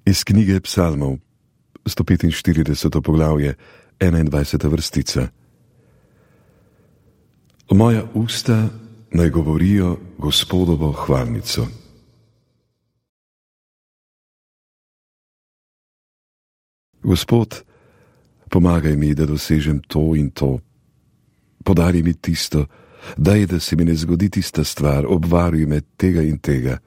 Iz knjige Psalmov, 145. poglavje, 21. vrstica. Moja usta naj govorijo Gospodovo hvalnico. Gospod, pomagaj mi, da dosežem to in to. Podari mi tisto, daj, da se mi ne zgodi tista stvar, obvaruj me tega in tega.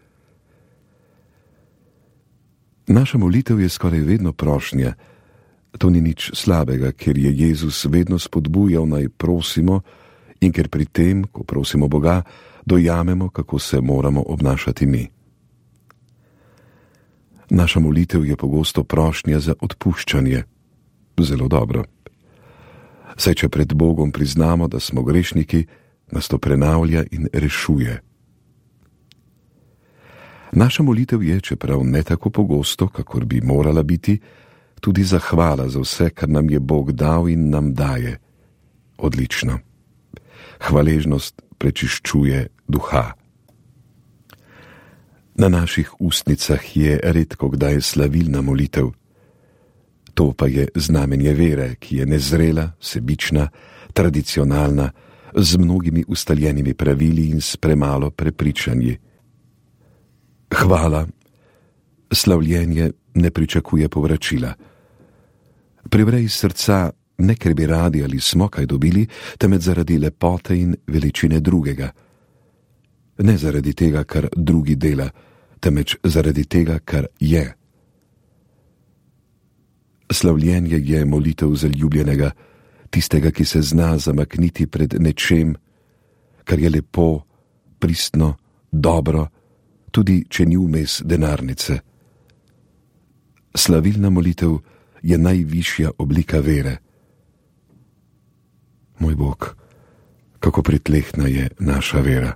Naša molitev je skoraj vedno prošnja. To ni nič slabega, ker je Jezus vedno spodbujal naj prosimo in ker pri tem, ko prosimo Boga, dojamemo, kako se moramo obnašati mi. Naša molitev je pogosto prošnja za odpuščanje. Zelo dobro. Saj če pred Bogom priznamo, da smo grešniki, nas to prenavlja in rešuje. Naša molitev je, čeprav ne tako pogosto, kakor bi morala biti, tudi zahvala za vse, kar nam je Bog dal in nam daje. Odlično. Hvaležnost prečiščuje duha. Na naših ustnicah je redko kdaj slavilna molitev. To pa je znamenje vere, ki je nezrela, sebična, tradicionalna, z mnogimi ustaljenimi pravili in s premalo prepričanji. Hvala, slavljenje ne pričakuje povračila. Privre iz srca, ne ker bi radi ali smo kaj dobili, temveč zaradi lepote in veličine drugega. Ne zaradi tega, kar drugi dela, temveč zaradi tega, kar je. Slavljenje je molitev zaljubljenega, tistega, ki se zna zamakniti pred nečem, kar je lepo, pristno, dobro, tudi če ni vmes denarnice. Slavilna molitev je najvišja oblika vere. Moj Bog, kako pritlehna je naša vera.